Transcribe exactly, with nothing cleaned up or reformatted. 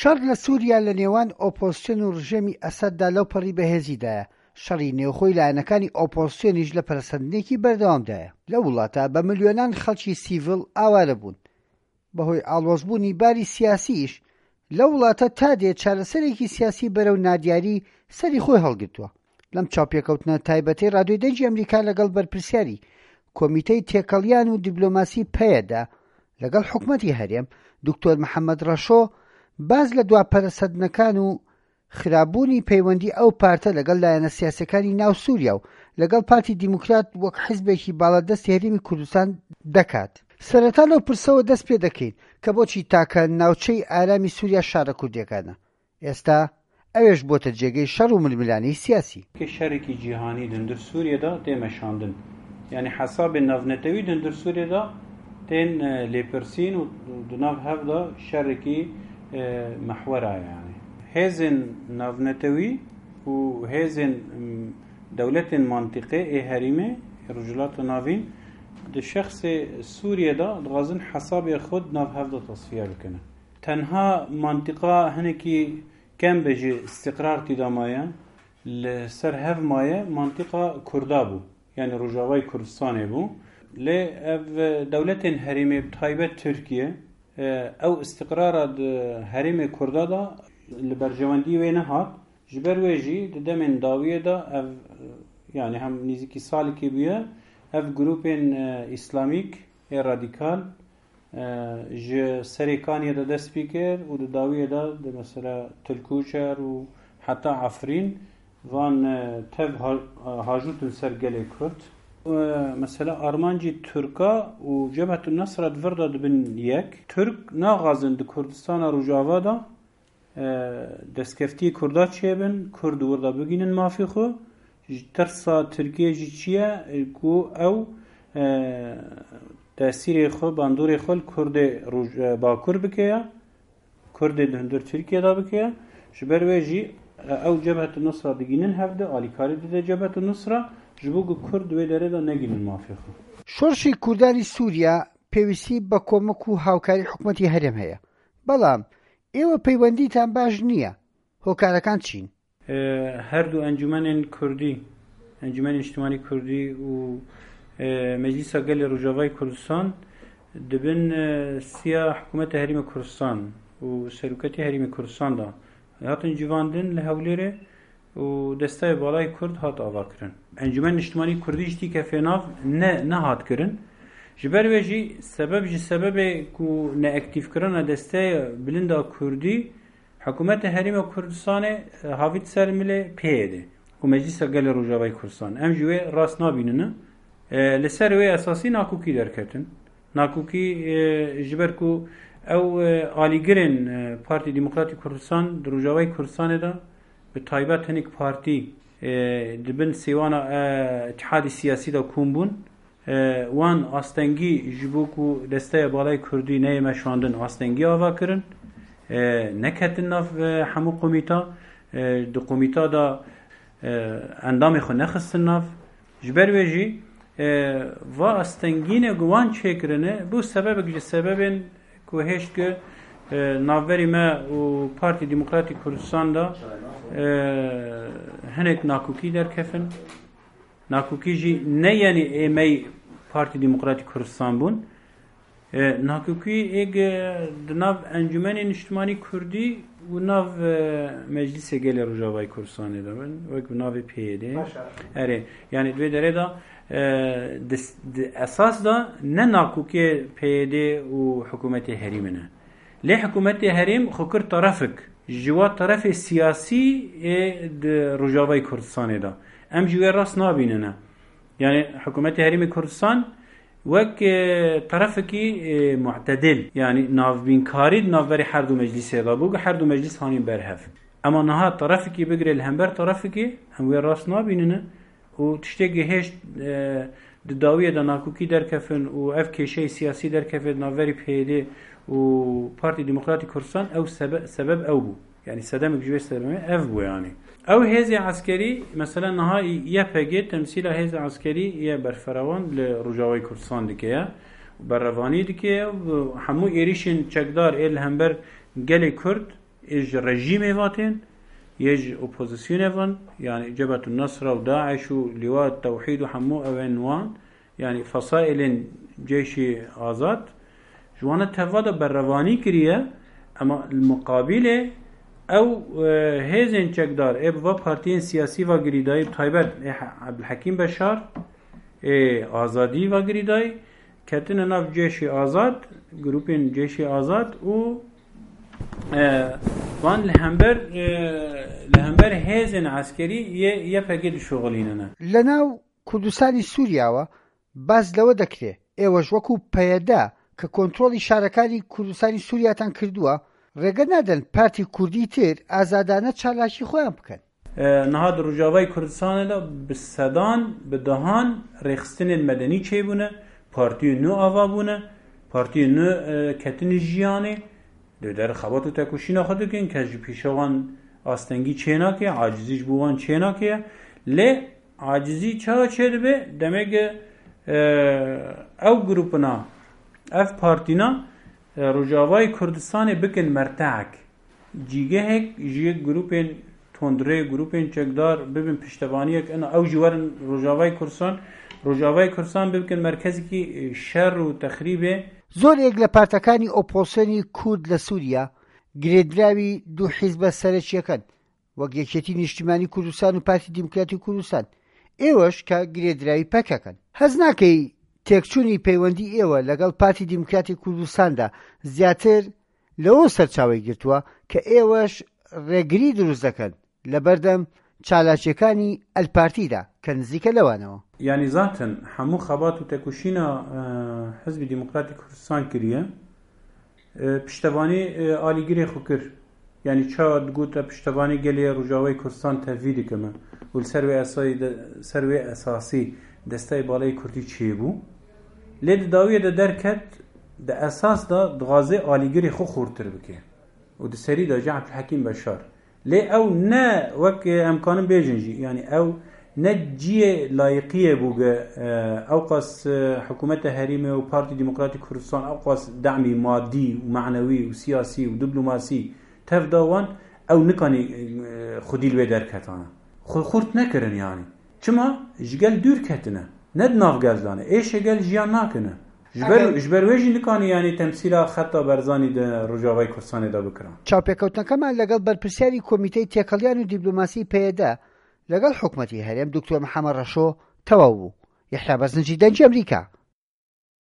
شەڕ لە سووریا لە نێوان ئۆپۆزسیۆن و ڕژێمی ئەسەددا لەو پەڕی بەهێزیدایە. شەڕی نێوخۆی لایەنەکانی ئۆپۆزسیۆنیش لە پەرەسەندنێکی بەردەوامدایە. لەو وڵاتە بە ملیۆنان خەڵکی سیڤیل ئاوارە بوون. بەهۆی ئاڵۆزبوونی باری سیاسیش لەو وڵاتە تا دێ چارەسەرێکی سیاسی بەرەو نادیاری سەری خۆی هەڵگرتووە. لەم چاوپێکەوتنە تایبەتەی رادیۆی دەنگی ئەمریکا لەگەڵ بەرپرسیاری کۆمیتەی تێکەڵیان و دیبلۆماسی پەیەدە لەگەڵ حکومەتی هەرێم، دکتۆر محەممەد ڕەشۆ باز لە دوا پەرەسەندنەکان و خراپبوونی پەیوەندی ئەو پارتە لەگەڵ لایەنە سیاسەکانی ناو سووریا و لەگەڵ پارتی دیموکرات وەک حیزبێکی باڵادەستی هەرێمی کوردستان دەکات. سەرەتا لەو پرسەوە دەست پێ دەکەین کە بۆچی تاکە ناوچەی ئارامی سووریا شارە کوردیەکانە، ئێستا ئەوێش بۆتە جێگەی شەڕ و ململانێی سیاسی. شەرێکی جیهانی دندر سووریەدا تێمەشاندن، یعنی حساب ناونەتەوی دندر سووریەدا تێن لێپرسین و دناو هەفدا شەرێکی محوەرە. یعنی هێزên navnetewî û hêzên dewletên mantiqê ê herîmê Rojhilata Navîn di şexsê Sûriye de dixwazin hesabê xwe di nav hev de tasfiye bikin. Tenha mantiqa hinekî kem be jî istiqrar tê de maye, li ser hev maye mantiqa Kurda bû, yani Rojavayê Kurdistanê bû. Lê ev dewletên herêmê bi taybet Tirkiye ew istiqrara di herêmê Kurda da li berjewendiyê wê nehat. Ji ber wê jî di demên dawiyê de ev yani hem nêzîkî salekê bûye ev grûpên îslamîk ê radîkal ji Serêkaniyê de dest pê kir û di dawiyê de di mesela Tilkûçer û heta Efrîn van tev hajûtin ser gelê Kurd. Mesela armancî Tirka û Cebhetun Nusra di vir de dibin yek. Türk naxwazin di Kurdistana Rojava de destkeftiyê Kurda çêbin, Kurd wir de bigihînin mafê xwe. Ji tirsa Tirkiye jî çi ye ku ew tesîrê xwe, bandorê xwe li Kurdê Bakur bike ye, Kurdê di hundir Tirkiye de bike ye. Ji ber wê jî ew Cebhetun Nusra digihînin hev de, alîkarî dide Cebhetun Nusra ji bo ku Kurd wê derê de negihînin mafê xwe. شۆڕشی کوردانی سووریا پێویستی بە کۆمەک و هاوکاری حکومەتی هەرێم هەیە، بەڵام ئێوە پەیوەندیتان باش نییە. هۆکارەکان چین؟ هەردوو ئەنجومەنên کوردی، ئەنجومەنی نیشتمانی کوردی و مەجلیسا gelê Rojavayê Kurdistan dibin siya hikûmeta Herêma Kurdistan û seroketê Herêma Kurdistan da hatin civandin li Hewlêrê û desteyê Balay Kurd hat avakirin. Encûmenê Niştimanî Kurdî jî tîkefê nav ne nehat kirin. Ji ber wê jî sebeb ji sebebê ku neaktîvkirina desteya bilinda Kurdî hikûmeta Herêma Kurdistanê havît ser milê P Y D û Meclisa Gelê Rojavayê Kurdistan. Em ji wê rast nabînin. Li ser wê esasî nakokî derketin. Nakokî ji ber ku ew alîgirên Partî Demokratîk Kurdistan di Rojavayê Kurdistanê de bi taybet hinek partî dibin sêwana îttihadî siyasî de kom bûn. Wan astengî ji bo ku desteya Balay Kurdî neyê meşandin astengî ava kirin. Neketin nav hemû komîta. Di komîta da endamê xwe nexistin nav. Ji ber wê jî va astengîne ku wan çêkirine bû sebebek ji sebebên ku hêşt ku navberî me û Partî Demokratîk Kurdistan da hinek nakokî derkefin. Nakokî jî ne yenî êmey Partî Demokratîk Kurdistan bûn. Nakokî êg di nav Encûmenê Niştimanî Kurdî û nav Meclisê Gelê Rojavayê Kurdistanê de bin, wek bi navê P Y D. Erê, yani di wê derê de di esas da ne nakokiyê P Y D û hikûmetê herêmê ne. Lê hikûmetê herêm xwe kir terefek ji wa terefê siyasî ê di Rojavayê Kurdistanê de. Em ji wê rast nabînin. Yani hikûmetê herêmê Kurdistan wek terefekî mu'tedil, yani navbînkarî di navberê her du meclisê de bû ku her du meclis hanîn berhev. Ema niha terefekî bigire li hember terefekî em wê rast nabînin û tiştekî hêşt di dawiyê de nakokî derkefin û ev kêşeyê siyasî derkeve di navberî P Y D û Partî Demokratîk Kurdistan ew sebeb ew bû. Yani sedemek ji wê sebebê ev bû yani. Ew hêzê eskerî mesela niha Y P G temsîla hêzê eskerî yê berferewan li Rojavayê Kurdistan dike ye, berevanî dike ye û hemû êrişên çekdar ê li hember gelê Kurd ئێژ ڕژیمێ واتێن یێژ ئۆپۆزیسیۆنێ ڤن یعنی جبهة النصرة و داعش و لواء التوحید و هەموو ئەوێن وان یعنی فەسائلên جێشی ئازاد جوانە تەڤا da berrevanî kiriye ema muqabilê ew hêzên çekdar ê bi va partiyên siyasî va girîdayî taybet ê Ebdulhekîm Beşar ê Azadî va girîdayî ketine nav cêşî azad grûpên cêşî azad û van li hember li hember hêzên eskerî yê YPG dişoxilînine. لەناو کوردستانی سووریاوە باس لەوە دەکرێ ئێوەش وەکو پەیەدە کە کۆنترۆڵی شارەکانی کوردستانی سووریاتان کردووە ڕێگە نادەن پارتی کوردی تر ئازادانە چالاکی خۆیان بکەن. نها di Rojavayê Kurdistanê de bi sedan bi dehan rêxistinên medenî çêbûne, partiyên nû ava bûne, partiyên nû ketinê jiyanê li der xebat û tekoşîna xwe dikin kes ji pêşa wan astengî çênake, acizî ji bo wan çênake. Lê acizî çawa çêdibe demek ew grûpina ev partîna Rojavayê Kurdistanê bikin merteek cîgehek ji grûpên tundrê grûpên çekdar bibin piştevaniyek ina ew jî werin Rojavayê Kurdistan Rojavayê Kurdistan bikin merkezekî şer û texrîbê. زۆرێک لە پارتەکانی ئۆپۆزیسیۆنی کورد لە سووریا گرێدراوی دوو حیزبە سەرەکییەکەن وەک یەکێتی نیشتیمانی کوردستان و پارتی دیموکراتی کوردستان، ئێوەش کە گرێدراوی پەکەکەن. هەز ناکەی تێکچوونی پەیوەندی ئێوە لەگەڵ پارتی دیموکراتی کوردستاندا زیاتر لەوە سەرچاوەی گرتووە کە ئێوەش ڕێگری دروست دەکەن لەبەردەم چالاکیەکانی ئەلپارتیدا کە نزیکە لەوانەوە؟ یعنی zaten هەموو خەبات و تێکۆشینە حزبی دیموکراتی کوردستان کریە پشتەوانی ئالیگرێ خو کرد. یعنی چا دگوتە پشتەوانی gelê Rojavayê Kurdistan tevî dikime û li ser wê esayî ser wê esasî desteyê baleyê Kurdî çêbû. Lê di dawiyê de derket di esas da dixwaze alîgirê xwe xurttir bike û di serî de jî Ebdulhekîm Beşar. Lê ew ne wek em kanin bêjin jî yani ew ne ciyê layiqiyê bû ge ew qas hikûmeta herêmê û Partî Demokratî Kurdistan ew qas demî madî û manewî û siyasî û diplomasî tev da wan ew nikanî xwedî li wê derketane. Xwe xurt nekirin yani. Çima ji gel dûr ketine. Ne di nav gel dane. Êşê gel jiyan nakine. Ji ber ji ber wê jî nikanî yani temsîla xeta Berzanî di Rojavayê Kurdistanê de bikirin. چاوپێکەوتنەکەمان لەگەڵ بەرپرسیاری کۆمیتەی تێکەڵیان و دیپلۆماسی پەیەدە لەگەڵ حکومەتی هەرێم دکتۆر محەممەد ڕەشۆ تەواو بوو. یەحیا بەزنجی، دەنگی ئەمریکا.